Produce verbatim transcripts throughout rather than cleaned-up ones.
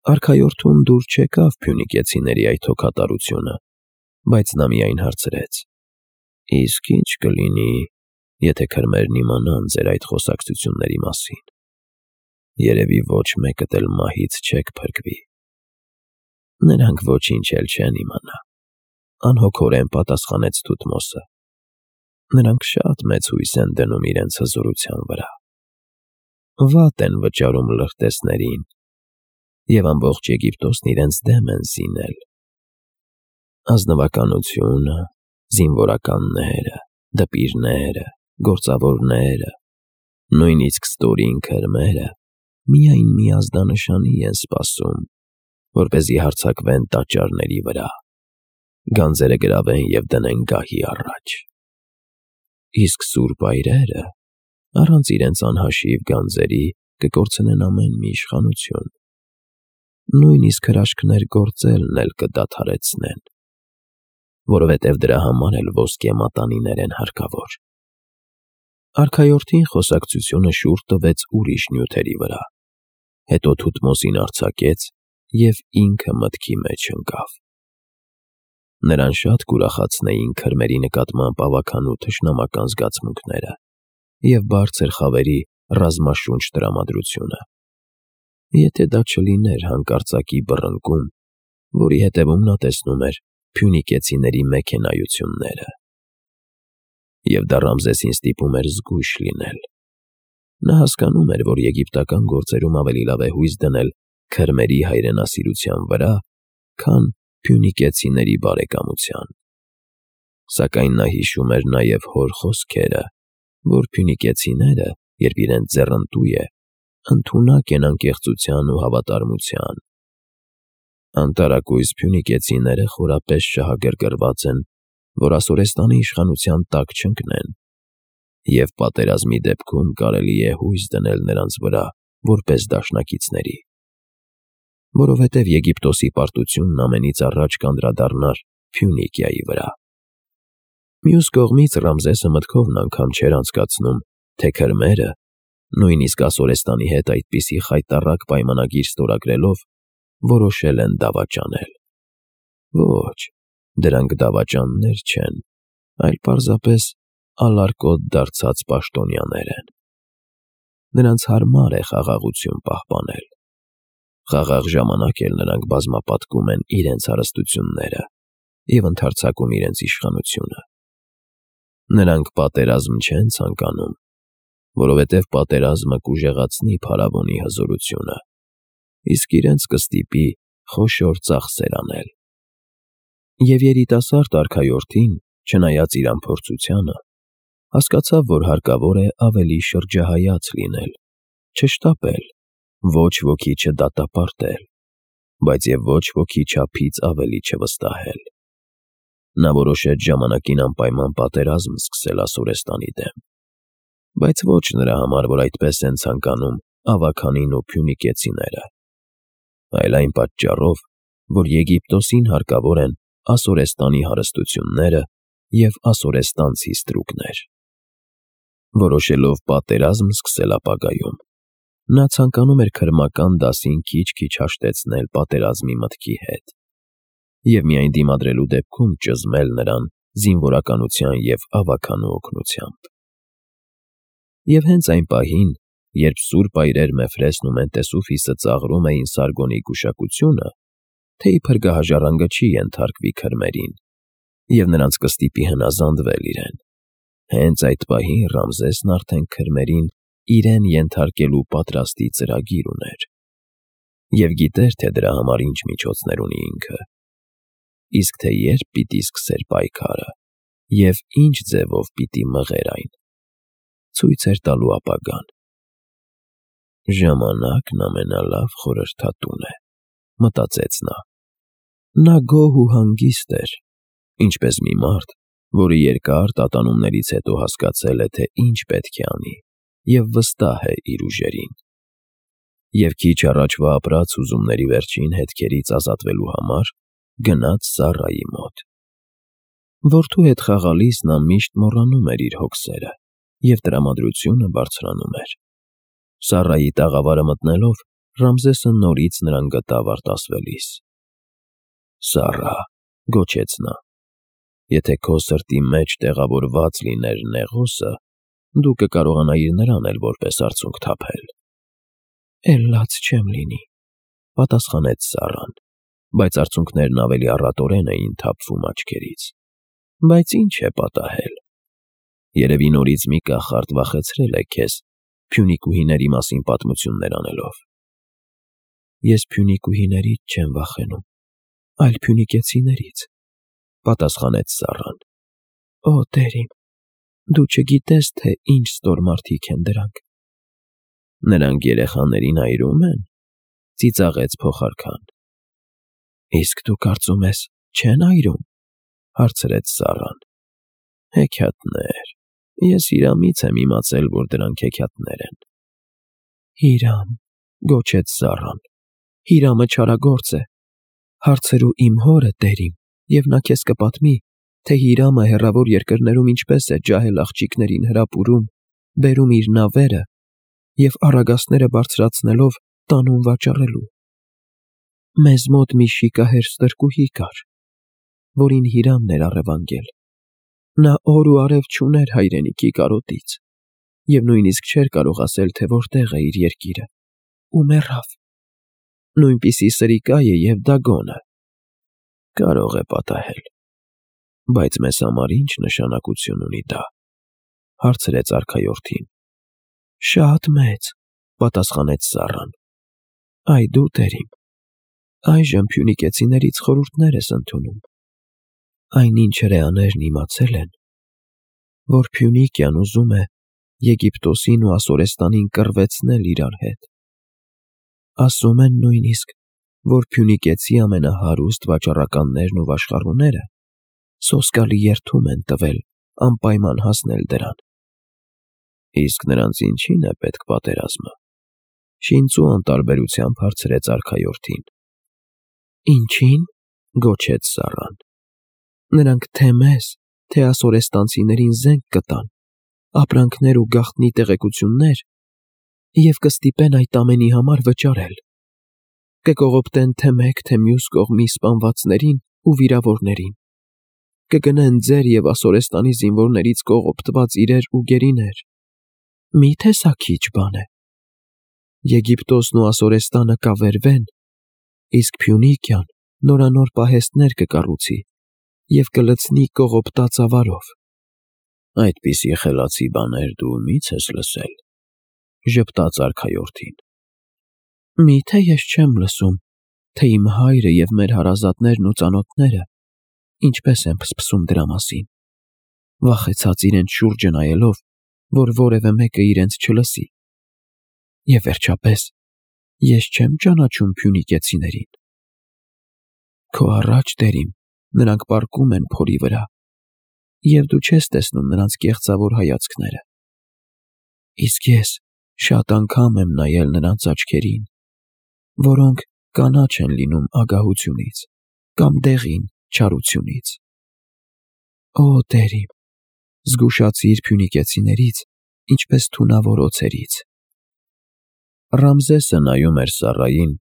Արքայորդուն դուր չեկավ փյունիկեցիների այդ հոգատարությունը, բայց նա միայն հարցրեց. «Իսկ ի՞նչ կլինի, եթե քրմերն իմանան ձեր այդ խոսակցությունների մասին։ Երևի ոչ մեկդ էլ մահից չեք փրկվի»։ «Նրանք ոչինչ էլ չեն իմանա», անհոգորեն պատասխանեց Թութմոսը։ «Նրանք շատ մեծ հույս են դնում իրենց հզորության վրա։ Վատ են վճարում լրտեսներին, և ամբողջ Եգիպտոսն իրենց դեմ են զինել։ Ազնվականությունը, զինվորականները, դպիրները, գործավորները, նույնիսկ ստորին քրմերը միայն մի ազդանշանի են սպասում, որպեսզի հարձակվեն տաճարների վրա, գանձերը գրավեն և դնեն գահի առաջ։ Իսկ սուրբ այրերը, առանց իրենց անհաշիվ գանձերի, կկորցնեն ամեն մի իշխանություն, նույնիսկ հրաշքներ գործելն էլ կդադարեցնեն, որովհետև դրա համար էլ ոսկե մատանիներ են հարկավոր»։ Արքայորդին խոսակցությունը շուռ տվեց ուրիշ նյութերի վրա, հետո Թութմոսին արձակեց և ինքը մտքի մեջ ընկավ։ Նրան շատ կուրախացնեին քրմերի նկատմամբ ավագանու թշնամական զգացմունքները և բարձր խավերի ռազմաշունչ տրամադրությունը, եթե դա չլիներ հանկարծակի բռնկում, որի հետևում նա տեսնում էր փյունիկեցիների մեքենայությունները։ Եվ դա Ռամզեսին ստիպում էր զգույշ լինել։ Նա հասկանում էր, որ եգիպտական գործերում ավելի լավ է հույս դնել քրմերի հայրենասիրության վրա, քան փյունիկեցիների բարեկամության։ Սակայն նա հիշում էր նաև հոր խոսքերը, որ փյունիկեցիները, երբ իրենց ձեռնտու է, ընդունակ են անկեղծության ու հավատարմության։ Անտարակույս փյունիկեցիները խորապես շահագրգռված են, որ Ասորեստանի իշխանության տակ չընկնեն, և պատերազմի դեպքում կարելի է հույս դնել նրանց վրա որպես դաշնակիցների, որովհետև Եգիպտոսի պարտությունն ամենից առաջ կանդրադառնար Փյունիկիայի վրա։ Մյուս կողմից Ռամզեսը մտքովն անգամ չէր անցկացնում, թե քրմերը, նույնիսկ Ասորեստանի հետ այդպիսի խայտառակ պայմանագիր ստորագրելով, որոշել են դավաճանել։ Ոչ, դրանք դավաճաններ չեն, այլ պարզապես ալարկոտ դարձած պաշտոնյաներ են։ Նրանց հարմար է խաղաղություն պահպանել։ Խաղաղ ժամանակ էլ նրանք բազմապատկում են իրենց հարստությունները և ընդարձակում իրենց իշխանությունը։ Նրանք պատերազմ չեն ցանկանում, որովհետև պատերազմը կուժեղացնի փարավոնի հզորությունը, իսկ իրենց կստիպի խոշոր ծախսեր անել։ Եվ երիտասարդ արքայորդին, չնայած իր անփորձությանը, հասկացավ, որ հարկավոր է ավելի շրջահայաց լինել, չշտապել, ոչ ոքի չդատապարտել, բայց և ոչ ոքի չափից ավելի չվստահել։ Նա որոշեց ժամանակին անպայման պատերազմ սկսել Ասորեստանի դեմ, բայց ոչ նրա համար, որ այդպես են ցանկանում ավագանին ու փյունիկեցիները, այլ այն պատճառով, որ Եգիպտոսին հարկավոր են Ասորեստանի հարստությունները և ասորեստանցի ստրուկներ։ Որոշելով պատերազմ սկսել ապագայում, նա ցանկանում էր քրմական դասին քիչ-քիչ հաշտեցնել պատերազմի մտքի հետ և միայն դիմադրելու դեպքում ճզմել նրան զինվորականության և ավագանու օգնությամբ։ Եվ հենց այն պահին, երբ սուրբ այրեր Մեֆրեսն ու Մենտեսուֆիսը ծաղրում էին Սարգոնի գուշակությունը, թե իբր գահաժառանգը չի ենթարկվի քրմերին, և նրանց կստիպի հնազանդվել իրեն, հենց այդ պահին Ռամզեսն արդեն քրմերին իրեն ենթարկելու պատրաստի ծրագիր ուներ և գիտեր, թե դրա համար ինչ միջոցներ ունի ինքը, իսկ թե երբ պիտի սկսեր պայքարը և ինչ ձևով պիտի մղեր այն, ցույց էր տալու ապագան։ «Ժամանակն ամենալավ խորհրդատուն է», մտածեց նա։ Նա գոհ ու հանգիստ էր, ինչպես մի մարդ, որը երկար տատանումներից հետո հասկացել է, թե ինչ պետք է անի, և վստահ է իր ուժերին։ Եվ քիչ առաջվա ապրած հուզումների վերջին հետքերից ազատվելու համար գնաց Սառայի մոտ։ Որդու հետ խաղալիս նա միշտ մոռանում էր իր հոգսերը և տրամադրությունը բարձրանում էր։ Սառայի տաղավարը մտնելով, Ռամզեսը նորից նրան գտավ արտասվելիս։ Սառա, գոչեց նա, եթե քո սրտի մեջ տեղավորված լիներ նեղոսը, դու կկարողանայիր նրան էլ որպես արցունք թափել։ Էլ լաց չեմ լինի, պատասխանեց Սառան, բայց արցունքներն ավելի առատորեն էին թափվում աչքերից։ Բայց ինչ է պատահել։ Երևի նորից մի կախարդ վախեցրել է քեզ փյունիկուհիների մասին պատմություններ անելով։ Ես փյունիկուհիներից չեմ վախենում, այլ փյունիկեցիներից, պատասխանեց Սառան։ Օ, տեր իմ, դու չգիտես, թե ինչ ստոր մարդիկ են դրանք։ Նրանք երեխաներին այրում են, ծիծաղեց փոխարքան։ Իսկ դու կարծում ես, չեն այրում, հարցրեց Սառան։ Հեքիաթներ, ես Հիրամից եմ իմացել, որ դրանք հեքիաթներ են։ Հիրամ, գոչեց Սառան, Հիրամը չարագործ է։ Հարցրու իմ հորը, տեր իմ, և նա քեզ կպատմի, թե Հիրամը հեռավոր երկրներում ինչպես է ջահել աղջիկներին հրապուրում, բերում իր նավերը և առագաստները բարձրացնելով տանում վաճառելու։ Մեզ մոտ մի շիկահեր ստրկուհի կար, որին Հիրամն էր առևանգել։ Նա օր ու արև չուներ հայրենիքի կարոտից և նույնիսկ չէր կարող ասել, թե որտեղ է իր երկիրը, ու մեռավ։ Նույնպիսի սրիկա է և դագոնը։ Կարող է պատահել, բայց մեզ համար ինչ նշանակություն ունի դա, հարցրեց արքայորդին։ Շատ մեծ, պատասխանեց Սառան։ Այ դու, տեր իմ, այժմ փյունիկեցիներից խորհուրդներ ես ընդունում։ Այն ինչ հրեաներն իմացել են, որ Փյունիկյան ուզում է Եգիպտոսին ու Ասորեստանին կռվեցնել իրար հետ։ Ասում են նույնիսկ, որ փյունիկեցի ամենահարուստ վաճառականներն ու վաշխառուները սոսկալի երդում են տվել անպայման հասնել դրան։ Իսկ նրանց ինչի՞ն է պետք պատերազմը, շինծու անտարբերությամբ հարցրեց արքայորդին։ Ինչի՞ն, գոչեց Սառան։ Նրանք թե մեզ, թե ասորեստանցիներին զենք կտան, ապրանքներ ու գաղտնի տեղեկություններ և կստիպեն այդ ամենի համար վճարել։ Կկողոպտեն թե մեկ, թե մյուս կողմի սպանվածներին ու վիրավորներին։ Կգնեն ձեր և Ասորեստանի զինվորներից կողոպտված իրեր ու գերիներ։ Մի՞թե սա քիչ բան է։ Եգիպտոսն ու Ասորեստանը կավերվեն, իսկ Փյունիկյան նորանոր պահեստներ կկառուցի և կլցնի կողոպտած ավարով։ Այդպիսի խելացի բաներ դու մի՞ց ես լսել, ժպտաց արքայորդին։ Մի՞թե ես չեմ լսում, թե իմ հայրը և մեր հարազատներն ու ծանոթները ինչպես են փսփսում դրա մասին, վախեցած իրենց շուրջը նայելով, որ որևէ մեկը իրենց չլսի։ Եվ վերջապես, ես չեմ ճանաչում փյունիկեցիներին։ Քո առաջ, տեր իմ, նրանք պառկում են փորի վրա, և դու չես տեսնում նրանց կեղծավոր հայացքները։ Իսկ ես շատ անգամ եմ նայել նրանց աչքերին, որոնք կանաչ են լինում ագահությունից կամ դեղին չարությունից։ Օ, տեր իմ, զգուշացիր փյունիկեցիներից, ինչպես թունավոր օձերից։ Ռամզեսը նայում էր Սառային,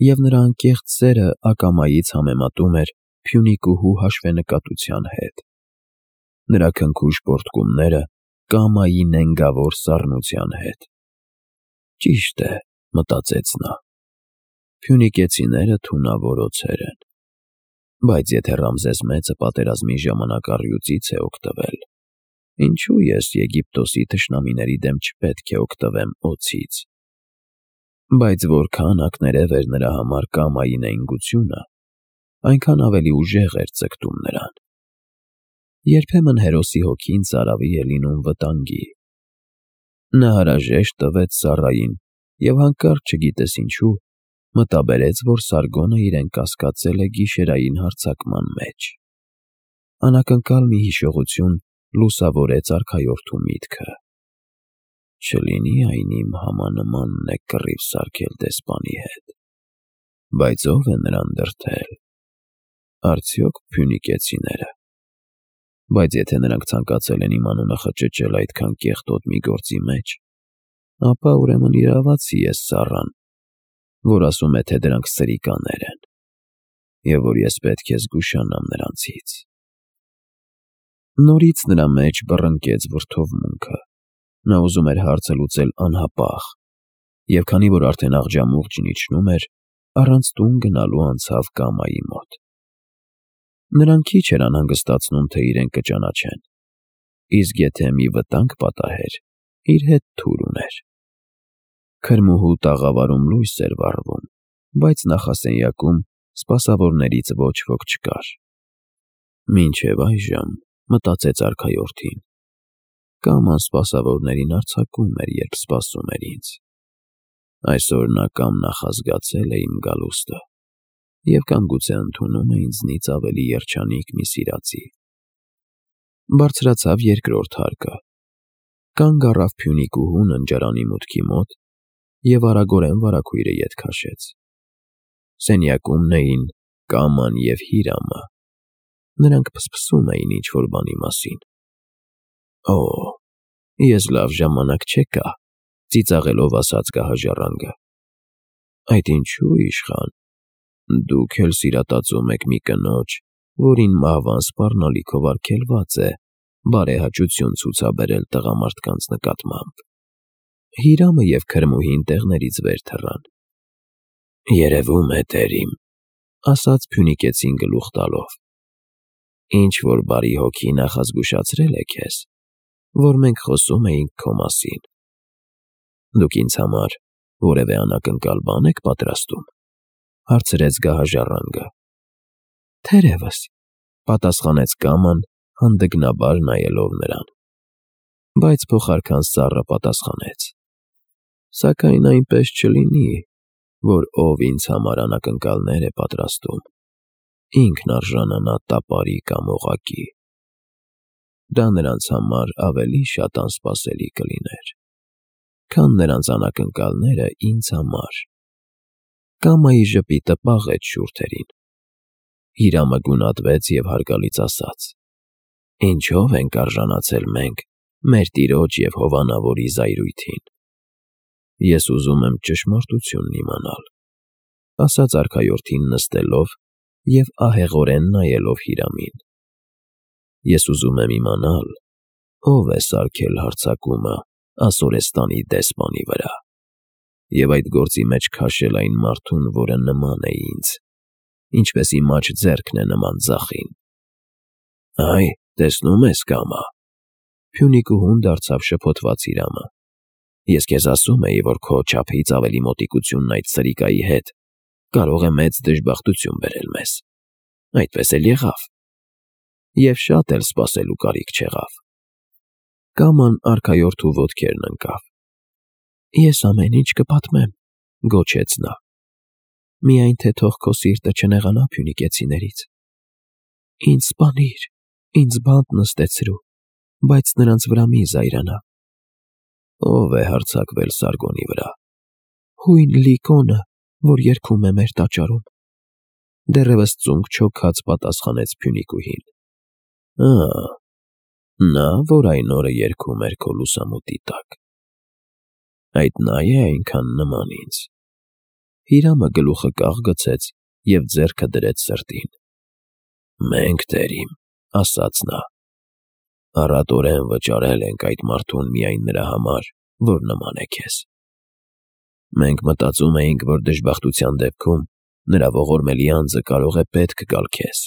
և նրա անկեղծ սերը ակամայից համեմատում էր փյունիկուհու հաշվենկատության հետ։ Նրա քնքուշ պոռթկումները կամայի նենգավոր սառնության հետ։ Ճիշտ է, մտածեց նա, փյունիկեցիները թունավոր օձեր են։ Բայց եթե Ռամզես մեծը պատերազմի ժամանակ առյուծից է օգտվել, ինչու ես Եգիպտոսի թշնամիների դեմ չպետք է օգտվեմ օձից։ Բայց որքան ակներև էր նրա համար կամայի նենգությունը, այնքան ավելի ուժեղ էր ձգտում նրան։ Երբեմն հերոսի հոգին ծարավի է լինում վտանգի։ Նա հարաժեշտ տվեց Սառային և հանկարծ չգիտես ինչու մտաբերեց, որ Սարգոնը իրեն կասկածել է գիշերային հարձակման մեջ։ Անակնկալ մի հիշողություն լուսավորեց արքայորդու միտքը։ Չլինի այն իմ համանմանն է կռիվ սարքել դեսպանի հետ։ Բայց ո՞վ է նրան դրդել։ Արդյոք փյունիկեցիները։ Բայց եթե նրանք ցանկացել են իմ անունը խճճել այդքան կեղտոտ մի գործի մեջ, ապա ուրեմն իրավացի է Սառան, որ ասում է, թե դրանք սրիկաներ են, և որ ես պետք է զգուշանամ նրանցից։ Նորից նրա մեջ բռնկեց վրդովմունքը։ Նա ուզում էր հարցը լուծել անհապաղ, և քանի որ արդեն աղջամուղջն իջնում էր, առանց տուն գնալու անցավ կամայի մոտ։ Նրան քիչ էր անհանգստացնում, թե իրեն կճանաչեն, իսկ եթե մի վտանգ պատահեր, իր հետ թուր ուներ։ Քրմուհու տաղավարում լույս էր վառվում, բայց նախասենյակում սպասավորներից ոչ ոք չկար։ Մինչև այժմ, մտածեց արքայորդին, Կաման սպասավորներին արձակում էր, երբ սպասում էր ինձ։ Այսօր նա կամ նախազգացել է իմ գալուստը, և կամ գուցե ընդունում է ինձնից ավելի երջանիկ մի սիրածի։ Բարձրացավ երկրորդ հարկը, կանգ առավ Փյունիկուհու ննջարանի մուտքի մոտ և արագորեն վարագույրը ետ քաշեց։ Սենյակումն էին Կաման և Հիրամը։ Նրանք փսփսում էին ինչ-որ բանի մասին։ Օ, ես լավ ժամանակ չեկա, ծիծաղելով ասաց գահաժառանգը։ Այդ ինչու, իշխան, դուք էլ սիրատածում եք մի կնոջ, որին մահվան սպառնալիքով արգելված է բարեհաճություն ցուցաբերել տղամարդկանց նկատմամբ։ Հիրամը և քրմուհին տեղներից վեր թռան։ Երևում է, տերիմ, ասաց փյունիկեցին գլուխ տալով, ինչ-որ բարի հոգի նախազգուշացրել է քեզ, որ մենք խոսում էինք քո մասին։ Դուք ինձ համար որևէ անակնկալ բան եք պատրաստում, հարցրեց գահաժառանգը։ Թերևս, պատասխանեց Կաման, հանդգնաբար նայելով նրան։ Բայց փոխարքան սառը պատասխանեց. Սակայն այնպես չլինի, որ ով ինձ համար անակնկալներ է պատրաստում, ինքն արժանանա տապարի կամ օղակի։ Դա նրանց համար ավելի շատ անսպասելի կլիներ, քան նրանց անակնկալները ինձ համար։ Կամայի ժպիտը պաղեց շուրթերին։ Հիրամը գունատվեց և հարգալից ասաց. Ինչո՞վ ենք արժանացել մենք մեր տիրոջ և հովանավորի զայրույթին։ Ես ուզում եմ ճշմարտությունն իմանալ, ասաց արքայորդին նստելով և ահեղորեն նայելով Հիրամին։ Ես ուզում եմ իմանալ, ով է սարքել հարձակումը Ասորեստանի դեսպանի վրա, և այդ գործի մեջ քաշել այն մարդուն, որը նման է ինձ, ինչպես իմ աջ ձեռքն է նման ձախին։ Այ, տեսնում ես, Կամա, Փյունիկուհուն դարձավ շփոթված Հիրամը։ Ես քեզ ասում էի, որ քո չափից ավելի մոտիկությունն այդ սրիկայի հետ կարող է մեծ դժբախտություն բերել մեզ։ Այդպես էլ եղավ։ Եվ շատ էլ սպասելու կարիք չեղավ։ Կաման արքայորդու ոտքերն ընկավ։ Ես ամեն ինչ կպատմեմ, գոչեց նա։ Միայն թե թող քո սիրտը չնեղանա փյունիկեցիներից։ Ինձ սպանիր, ինձ բանտ նստեցրու, բայց նրանց վրա մի զայրանա։ Ո՞վ է հարձակվել Սարգոնի վրա։ Հույն Լիկոնը, որ երգում է մեր տաճարում։ Դեռևս ծունկ չոքած պատասխանեց Փյունիկուհին։ Ա, նա, որ այն օրը երգում էր քո լուսամուտի տակ։ Այդ նա է այնքան նման ինձ։ Հիրամը գլուխը կաղ գցեց և ձեռքը դրեց սրտին։ Մենք, տերիմ, ասաց նա, առատորեն վճարել ենք այդ մարդուն միայն նրա համար, որ նման է քեզ։ Մենք մտածում էինք, որ դժբախտության դեպքում նրա ողորմելի անձը կարող է պետք գալ քեզ։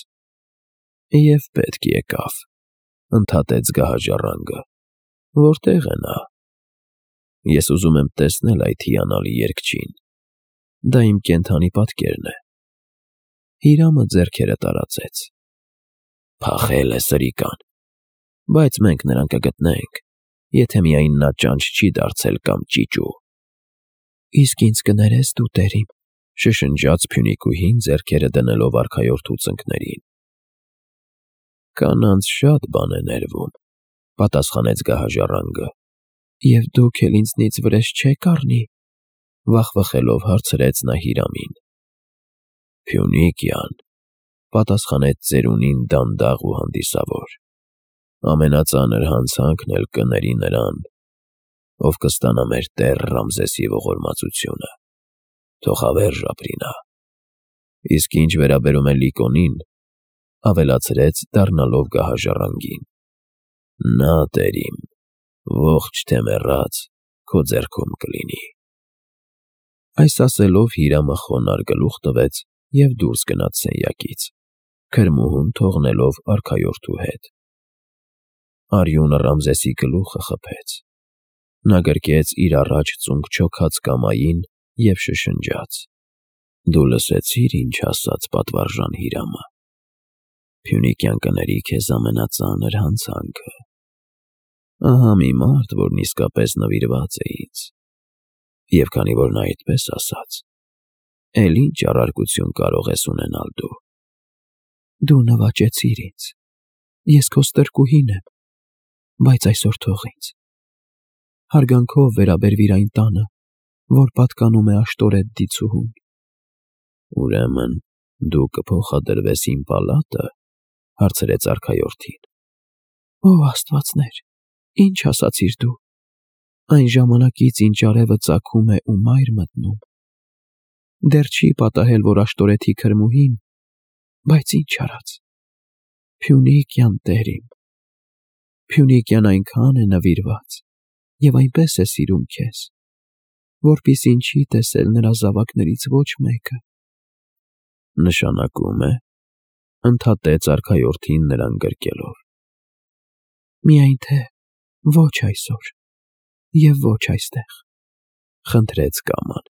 Եվ պետք եկավ, ընդհատեց գահաժառանգը։ Որտե՞ղ է նա։ Ես ուզում եմ տեսնել այդ հիանալի երգչին։ Դա իմ կենդանի պատկերն է։ Հիրամը ձեռքերը տարածեց։ Փախել է սրիկան, բայց մենք նրան կգտնենք, եթե միայն նա ճանճ չի դարձել կամ ճիճու։ Իսկ ինձ կներես դու, տերիմ, շշնջաց Փյունիկուհին, ձեռքերը դնելով արքայորդու ծնկներին։ Կանանց շատ բան է ներվում, պատասխանեց գահաժառանգը։ Եվ դուք էլ ինձնից վրեժ չեք առնի, վախվխելով հարցրեց նա Հիրամին։ Փյունիկյան, պատասխանեց ծերունին դանդաղ ու հանդիսավոր, ամենածանր հանցանքն էլ կների նրան, ով կստանա մեր տեր Ռամզեսի ողորմածությունը։ թող հավերժ ապրի նա։ Իսկ ինչ վերաբերում է Լիկոնին, ավելացրեց դառնալով գահաժառանգին, նա տերիմ, ողջ թե մեռած, քո ձեռքում կլինի։ Այս ասելով Հիրամը խոնարհ գլուխ տվեց և դուրս գնաց սենյակից, քրմուհուն թողնելով արքայորդու հետ։ Արյունը Ռամզեսի գլուխը խփեց։ Նա գրկեց իր առաջ ծունկ չոքած կամային և շշնջաց. «Դու լսեցի՞ր, ինչ ասաց պատվարժան Հիրամը. Փյունիկյան կների քեզ ամենածանր հանցանքը։ Ահա մի մարդ, որն իսկապես նվիրված է ինձ, և քանի որ նա այդպես ասաց, էլ ինչ առարկություն կարող ես ունենալ դու։ Դու նվաճեցիր ինձ, ես քո ստրկուհին եմ, բայց այսօր թող ինձ։ Հարգանքով վերաբերվիր այն տանը, որ պատկանում է Աշտորեթ դիցուհուն։ Ուրեմն դու կփոխադրվես իմ պալա՞տը, հարցրեց արքայորդին։ Ո աստվածներ, ինչ ասացիր դու։ Այն ժամանակից, ինչ արևը ծագում է ու մայր մտնում։ Դեռ չի պատահել, որ Աշտորեթի քրմուհին, բայց ինչ արած։ Փյունիկյան տերիմ, Փյունիկյան այնքան է նվիրված և այնպես է սիրում քեզ, որպեսզի չի տեսել նրա զավակներից ոչ մեկը։ Նշանակում է, ընդհատեց արքայորդին նրան գրկելով. Միայն թե ոչ այսօր և ոչ այստեղ, խնդրեց կաման։